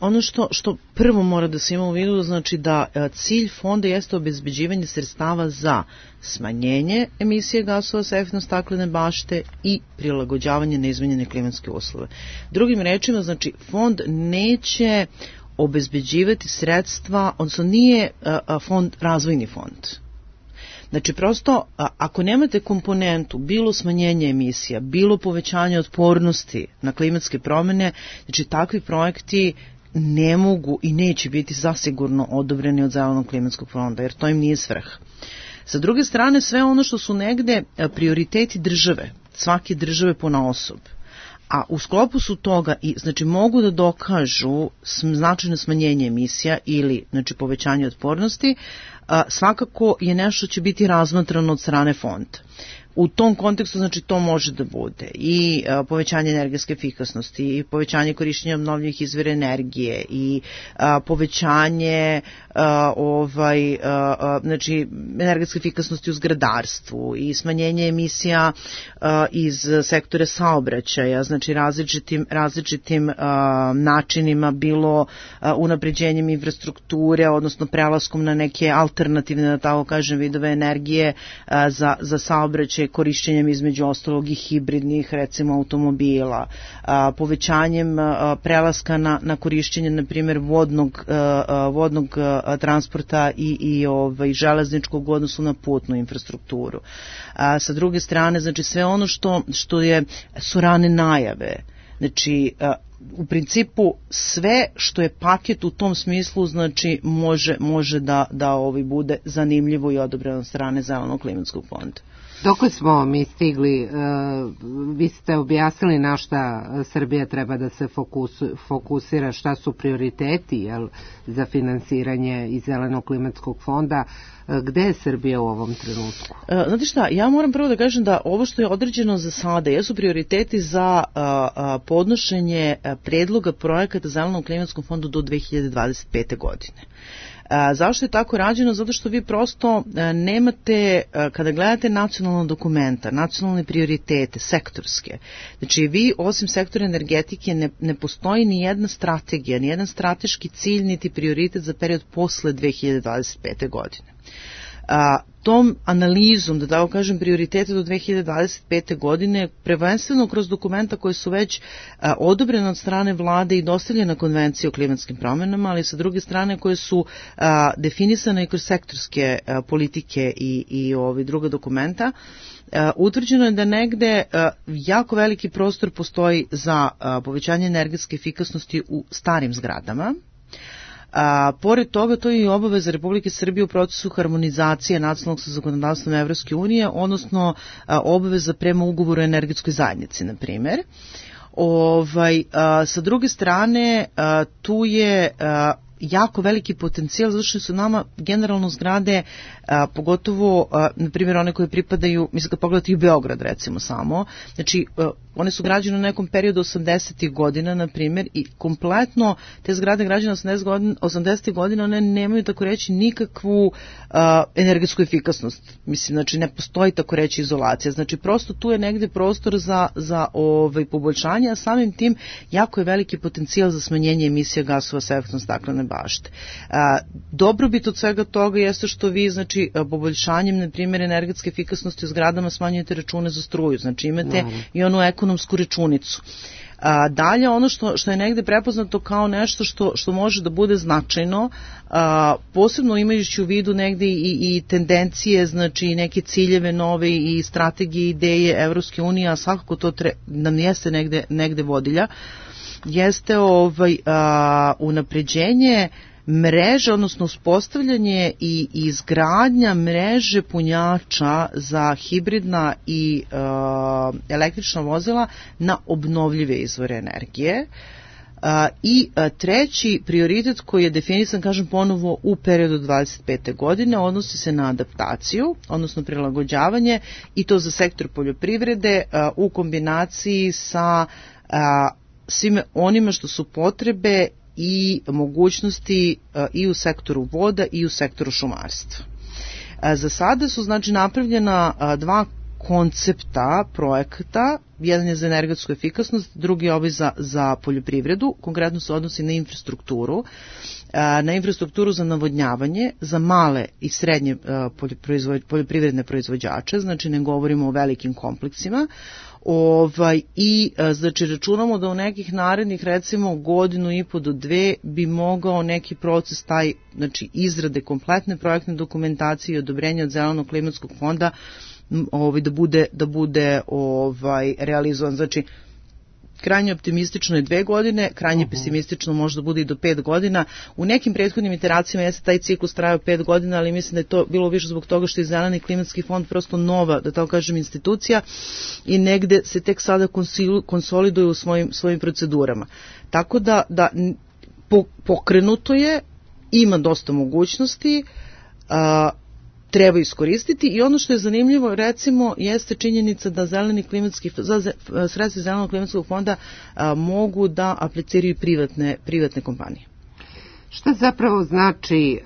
ono što prvo mora da se ima u vidu, znači da cilj fonda jeste obezbeđivanje sredstava za smanjenje emisije gasova sa efektom staklene bašte i prilagođavanje na izmenjene klimatske uslove. Drugim rečima, znači fond neće obezbeđivati sredstva, odnosno nije fond razvojni fond. Znači prosto, ako nemate komponentu, bilo smanjenje emisija, bilo povećanje otpornosti na klimatske promene, znači takvi projekti ne mogu i neće biti zasigurno odobreni od Zelenog klimatskog fonda, jer to im nije svrha. Sa druge strane, sve ono što su negde prioriteti države, svake države ponaosob, a u sklopu su toga i znači mogu da dokažu značajno smanjenje emisija ili znači povećanje otpornosti, svakako je nešto će biti razmatrano od strane fonda. U tom kontekstu, znači, to može da bude i povećanje energetske efikasnosti, i povećanje korišćenja obnovljivih izvora energije, i povećanje znači, energetske efikasnosti u zgradarstvu, i emisija iz sektora saobraćaja, znači različitim načinima, bilo unapređenjem infrastrukture, odnosno prelaskom na neke alternativne, da tako kažem, vidove energije za saobraćaj, korišćenjem između ostalog i hibridnih, recimo, automobila, povećanjem prelaska na korišćenje, na primjer, vodnog transporta i železničkog u odnosu na putnu infrastrukturu. Sa druge strane, znači sve ono što su rane najave, znači u principu sve što je paket u tom smislu, znači može da bude zanimljivo i odobreno od strane Zelenog klimatskog fonda. Dok smo mi stigli, vi ste objasnili na šta Srbija treba da se fokusira, šta su prioriteti za finansiranje iz Zelenog klimatskog fonda. Gde je Srbija u ovom trenutku? Znate šta, ja moram prvo da kažem da ovo što je određeno za sada jesu prioriteti za podnošenje predloga projekata Zelenog klimatskom fondu do 2025. godine. Zašto je tako rađeno? Zato što vi prosto nemate, kada gledate nacionalna dokumenta, nacionalne prioritete, sektorske, znači vi osim sektora energetike ne postoji ni jedna strategija, ni jedan strateški cilj, niti prioritet za period posle 2025. godine. Tom analizom, da tako kažem, prioritete do 2025. godine, prvenstveno kroz dokumenta koje su već odobrene od strane vlade i dostavljene konvencije o klimatskim promjenama, ali sa druge strane koje su definisane i kroz sektorske politike i druga dokumenta, utvrđeno je da negde jako veliki prostor postoji za povećanje energetske efikasnosti u starim zgradama, Pored toga, to je i obaveza Republike Srbije u procesu harmonizacije nacionalnog sa zakonodavstvom Evropske unije, odnosno obaveza prema ugovoru o energetskoj zajednici, na primjer. Sa druge strane, tu je jako veliki potencijal, zato što su nama generalno zgrade, pogotovo, na primjer, one koje pripadaju, mislim kad pogledate i u Beograd recimo samo, znači one su građene u nekom periodu 80. godina, na primjer, i kompletno te zgrade građene 80. godina, one nemaju, tako reći, nikakvu energetsku efikasnost. Mislim, znači ne postoji, tako reći, izolacija. Znači prosto tu je negde prostor za poboljšanje, a samim tim jako je veliki potencijal za smanjenje emisija gasova sa efektom staklene bašte. Dobrobit od svega toga jeste što vi, znači, poboljšanjem, na primjer, energetske efikasnosti u zgradama smanjujete račune za struju, znači imate i onu ekonomsku računicu. Dalje, ono što je negde prepoznato kao nešto što može da bude značajno, posebno imajući u vidu negde i tendencije, znači neke ciljeve nove i strategije, ideje Evropske unije, a svakako to nam jeste negde vodilja, jeste unapređenje mreže, odnosno uspostavljanje i izgradnja mreže punjača za hibridna i električna vozila na obnovljive izvore energije. I treći prioritet koji je definisan, kažem ponovo, u periodu 25. godine, odnosi se na adaptaciju, odnosno prilagođavanje, i to za sektor poljoprivrede u kombinaciji sa svime onima što su potrebe i mogućnosti i u sektoru voda i u sektoru šumarstva. Za sada su, znači, napravljena dva koncepta projekata, jedan je za energetsku efikasnost, drugi je za poljoprivredu, konkretno se odnosi na infrastrukturu za navodnjavanje, za male i srednje poljoprivredne proizvođače, znači ne govorimo o velikim kompleksima, znači računamo da u nekih narednih, recimo, 1,5 do 2 bi mogao neki proces taj, znači izrade kompletne projektne dokumentacije i odobrenja od Zelenog klimatskog fonda da bude realizovan. Znači, krajnje optimistično je 2 godine, krajnje pesimistično može da bude i do 5 godina. U nekim prethodnim iteracijama jeste taj ciklus trajao 5 godina, ali mislim da je to bilo više zbog toga što je Zeleni klimatski fond prosto nova, da tako kažem, institucija i negde se tek sada konsoliduje u svojim procedurama. Tako da pokrenuto je, ima dosta mogućnosti, treba iskoristiti, i ono što je zanimljivo, recimo, jeste činjenica da sredstva Zelenog klimatskog fonda mogu da apliciraju privatne kompanije. Šta zapravo znači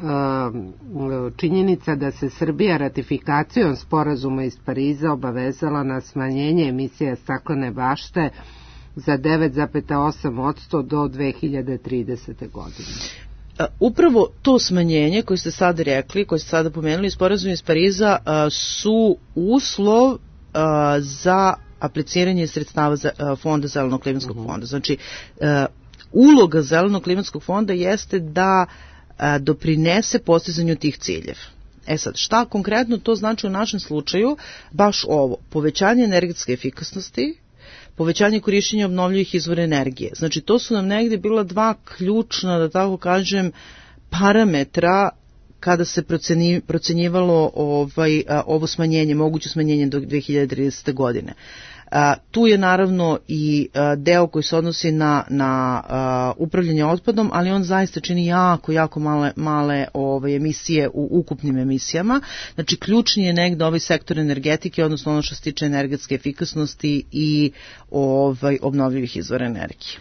činjenica da se Srbija ratifikacijom sporazuma iz Pariza obavezala na smanjenje emisija staklene bašte za 9,8% do 2030. godine? Upravo to smanjenje koje ste sada rekli, koje ste sada pomenuli, sporazum iz Pariza, su uslov za apliciranje sredstava fonda Zelenog klimatskog fonda. Znači, uloga Zelenog klimatskog fonda jeste da doprinese postizanju tih ciljeva. Sad, šta konkretno to znači u našem slučaju? Baš ovo, povećanje energetske efikasnosti, povećanje korišćenja obnovljivih izvora energije. Znači, to su nam negde bila dva ključna, da tako kažem, parametra kada se procenjivalo ovo smanjenje, moguće smanjenje do 2030. godine. Tu je naravno i deo koji se odnosi na upravljanje otpadom, ali on zaista čini jako male emisije u ukupnim emisijama. Znači, ključni je negde ovaj sektor energetike, odnosno ono što se tiče energetske efikasnosti i obnovljivih izvora energije.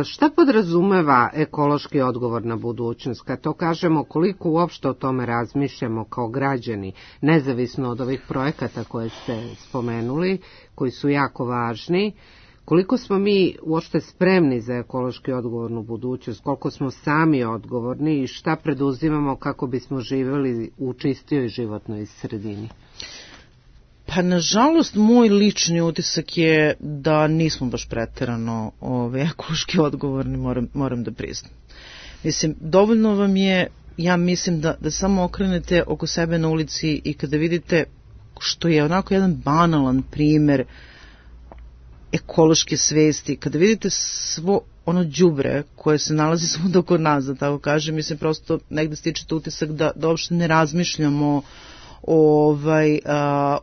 Šta podrazumeva ekološki odgovor na budućnost? Kad to kažemo, koliko uopšte o tome razmišljamo kao građani, nezavisno od ovih projekata koje ste spomenuli, koji su jako važni, koliko smo mi uopšte spremni za ekološki odgovornu budućnost, koliko smo sami odgovorni i šta preduzimamo kako bismo živjeli u čistijoj životnoj sredini? Pa, nažalost, moj lični utisak je da nismo baš preterano ekološki odgovorni, moram da priznam. Mislim, dovoljno vam je, ja mislim, da samo okrenete oko sebe na ulici i kada vidite, što je onako jedan banalan primer ekološke svesti, kada vidite ono đubre koje se nalazi svuda kod nas, da tako kažem, mislim prosto negde stičete utisak da uopšte ne razmišljamo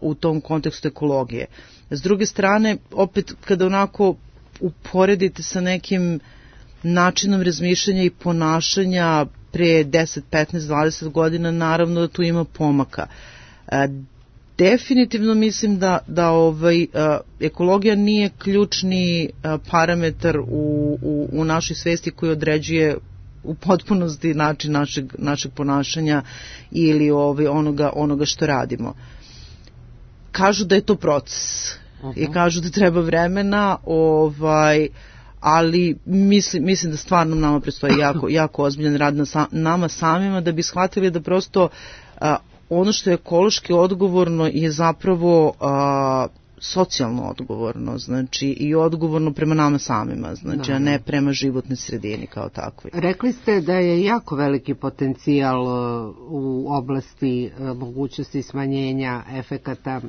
u tom kontekstu ekologije. S druge strane, opet kada onako uporedite sa nekim načinom razmišljanja i ponašanja pre 10, 15, 20 godina, naravno da tu ima pomaka. Definitivno mislim da ekologija nije ključni parametar u našoj svesti koji određuje u potpunosti način našeg ponašanja ili onoga što radimo. Kažu da je to proces i kažu da treba vremena, ali mislim da stvarno nama predstoji jako ozbiljan rad na nama samima da bi shvatili da prosto ono što je ekološki odgovorno je zapravo socijalno odgovorno, znači i odgovorno prema nama samima, znači, a ne prema životnoj sredini kao takvoj. Rekli ste da je jako veliki potencijal u oblasti mogućnosti smanjenja efekata,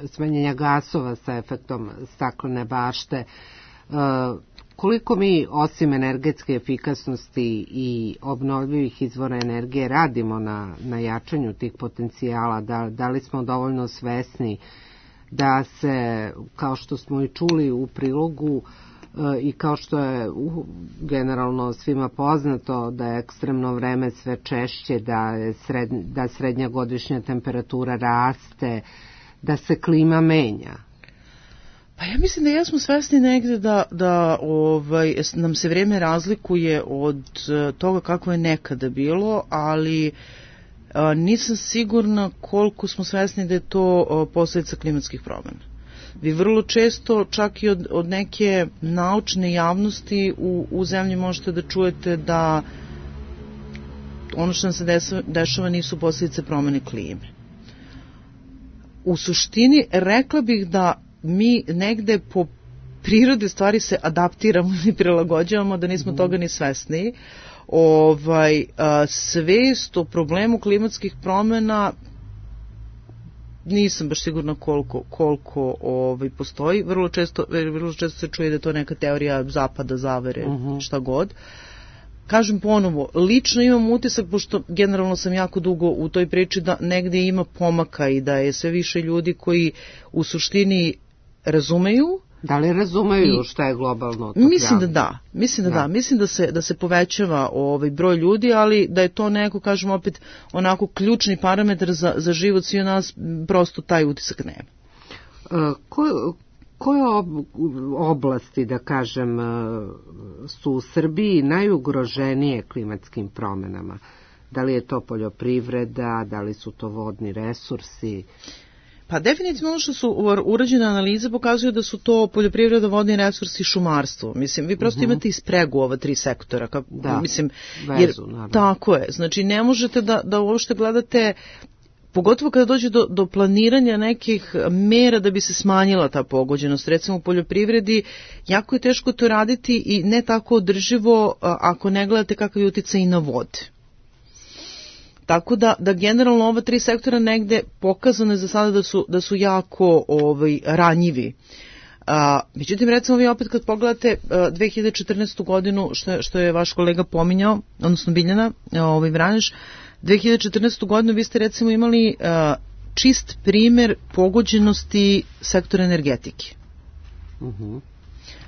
smanjenja gasova sa efektom staklene bašte. Koliko mi osim energetske efikasnosti i obnovljivih izvora energije radimo na jačanju tih potencijala, da li smo dovoljno svesni da se, kao što smo i čuli u prilogu i kao što je generalno svima poznato, da je ekstremno vreme sve češće, da srednja godišnja temperatura raste, da se klima menja? Pa ja mislim da jesmo svesni negde da nam se vrijeme razlikuje od toga kako je nekada bilo, ali nisam sigurna koliko smo svesni da je to posljedica klimatskih promjena. Vi vrlo često, čak i od neke naučne javnosti u zemlji možete da čujete da ono što nam se dešava nisu posljedice promjene klime. U suštini rekla bih da mi negde po prirodi stvari se adaptiramo ili prilagođavamo, da nismo toga ni svesni. Svest o problemu klimatskih promjena nisam baš sigurna koliko postoji. Vrlo često se čuje da je to neka teorija zapada, zavere, šta god. Kažem ponovo, lično imam utisak, pošto generalno sam jako dugo u toj priči, da negde ima pomaka i da je sve više ljudi koji u suštini razumeju. Da li razumeju šta je globalno otopljavanje? Mislim da da. Mislim da se povećava broj ljudi, ali da je to neko, kažem opet, onako ključni parametar za život svi nas, prosto taj utisak nema. Koje oblasti, da kažem, su u Srbiji najugroženije klimatskim promjenama? Da li je to poljoprivreda, da li su to vodni resursi? Pa definitivno ono što su urađene analize pokazuju da su to poljoprivreda, vodni resursi i šumarstvo. Mislim, vi prosto imate ispregu ova tri sektora. Vezu, tako je. Znači, ne možete da uopšte gledate, pogotovo kada dođe do planiranja nekih mera da bi se smanjila ta pogođenost. Recimo u poljoprivredi jako je teško to raditi i ne tako održivo ako ne gledate kakav je uticaj i na vode. Tako da generalno ova tri sektora negde pokazano je za sada da su jako ranjivi. Međutim, recimo vi opet kad pogledate 2014. godinu, što je vaš kolega pominjao, odnosno Biljana Vranješ, 2014. godinu vi ste recimo imali čist primer pogođenosti sektora energetike.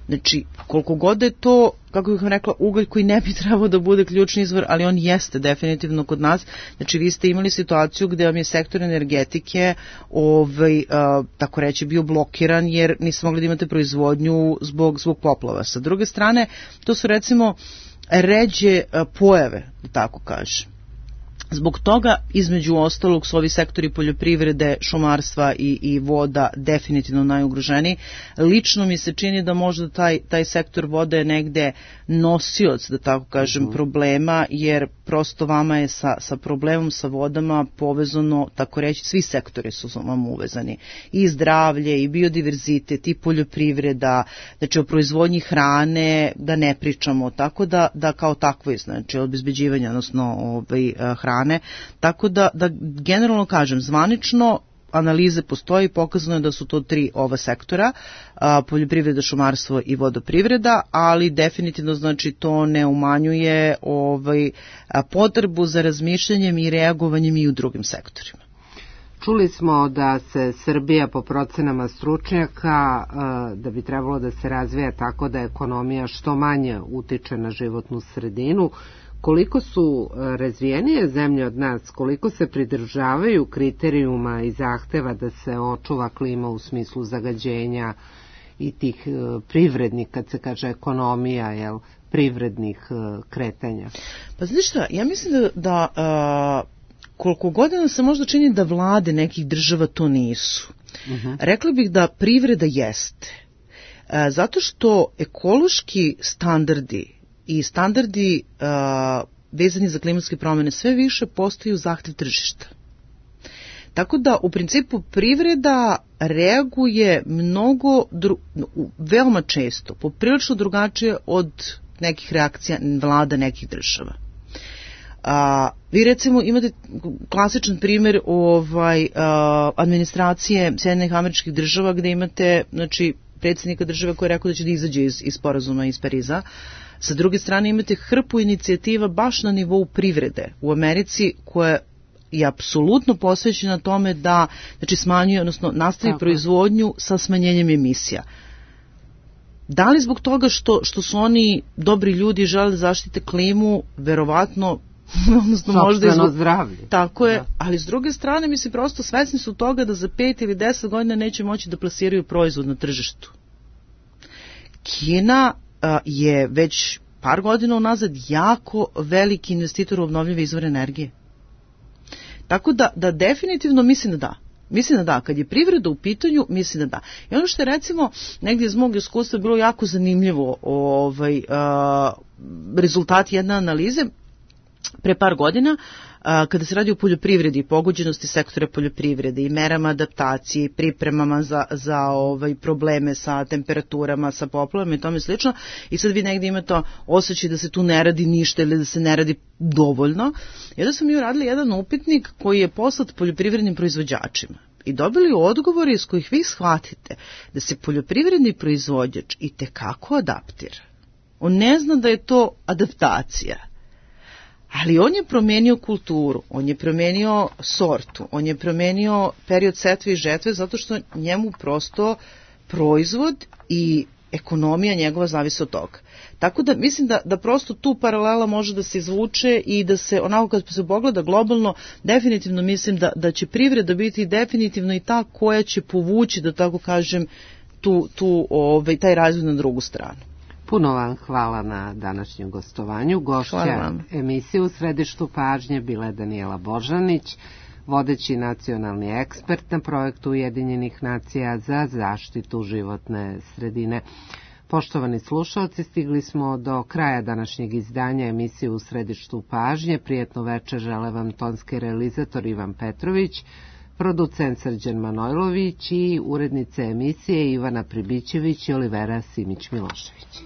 Znači, koliko god je to, kako bih vam rekla, ugalj koji ne bi trebao da bude ključni izvor, ali on jeste definitivno kod nas. Znači, vi ste imali situaciju gde vam je sektor energetike tako reći bio blokiran jer niste mogli da imate proizvodnju zbog poplava. Sa druge strane, to su recimo ređe pojave, da tako kažem. Zbog toga, između ostalog, su ovi sektori poljoprivrede, šumarstva i voda definitivno najugroženiji. Lično mi se čini da možda taj sektor vode je negde nosioc, da tako kažem, problema, jer prosto vama je sa problemom sa vodama povezano, tako reći, svi sektori su vam uvezani. I zdravlje, i biodiverzitet, i poljoprivreda, znači o proizvodnji hrane da ne pričamo, tako da kao takvo, znači obezbeđivanje, odnosno hrane. Tako da generalno kažem, zvanično analize postoje i pokazano je da su to 3 ova sektora, poljoprivreda, šumarstvo i vodoprivreda, ali definitivno znači to ne umanjuje potrebu za razmišljanjem i reagovanjem i u drugim sektorima. Čuli smo da se Srbija po procenama stručnjaka da bi trebalo da se razvija tako da ekonomija što manje utiče na životnu sredinu. Koliko su razvijenije zemlje od nas, koliko se pridržavaju kriterijuma i zahteva da se očuva klima u smislu zagađenja i tih privrednih, kad se kaže ekonomija, privrednih kretanja? Pa znaš šta, ja mislim da koliko godina se možda čini da vlade nekih država to nisu. Rekla bih da privreda jeste. Zato što ekološki standardi i standardi vezani za klimatske promjene sve više postaju zahtev tržišta. Tako da u principu privreda reaguje veoma često, poprilično drugačije od nekih reakcija vlada nekih država. Vi recimo imate klasičan primjer administracije Sjedinjenih Američkih Država gde imate predsjednika države koji je rekao da će da izađe iz sporazuma iz Pariza. Sa druge strane imate hrpu inicijativa baš na nivou privrede u Americi koja je apsolutno posvećena tome da smanjuje, odnosno nastavi proizvodnju sa smanjenjem emisija. Da li zbog toga što su oni dobri ljudi i žele da zaštite klimu, verovatno sopstveno zdravlje. Tako je, ali s druge strane mislim prosto svesni su toga da za 5 ili 10 godina neće moći da plasiraju proizvod na tržištu. Kina je već par godina unazad jako veliki investitor u obnovljive izvore energije. Tako da definitivno mislim da da. Mislim da da, kad je privreda u pitanju, mislim da da. I ono što je recimo negdje iz mog iskustva bilo jako zanimljivo, rezultat jedne analize pre par godina, kada se radi o poljoprivredi, pogođenosti sektora poljoprivrede i merama adaptacije i pripremama za probleme sa temperaturama, sa poplavama i tome slično, i sad vi negdje imate osjećaj da se tu ne radi ništa ili da se ne radi dovoljno. I onda smo mi uradili jedan upitnik koji je poslat poljoprivrednim proizvođačima i dobili odgovore iz kojih vi shvatite da se poljoprivredni proizvođač i tekako adaptira. On ne zna da je to adaptacija. Ali on je promenio kulturu, on je promenio sortu, on je promenio period setve i žetve zato što njemu prosto proizvod i ekonomija njegova zavisi od toga. Tako da mislim da prosto tu paralela može da se izvuče i da se onako kad se pogleda globalno, definitivno mislim da će privreda biti definitivno i ta koja će povući, da tako kažem, taj razvoj na drugu stranu. Puno vam hvala na današnjem gostovanju. Gošća emisije U središtu pažnje bila je Danijela Božanić, vodeći nacionalni ekspert na projektu Ujedinjenih nacija za zaštitu životne sredine. Poštovani slušalci, stigli smo do kraja današnjeg izdanja emisije U središtu pažnje. Prijetno večer žele vam tonski realizator Ivan Petrović, producent Srđan Manojlović i urednice emisije Ivana Pribićević i Olivera Simić-Milošević.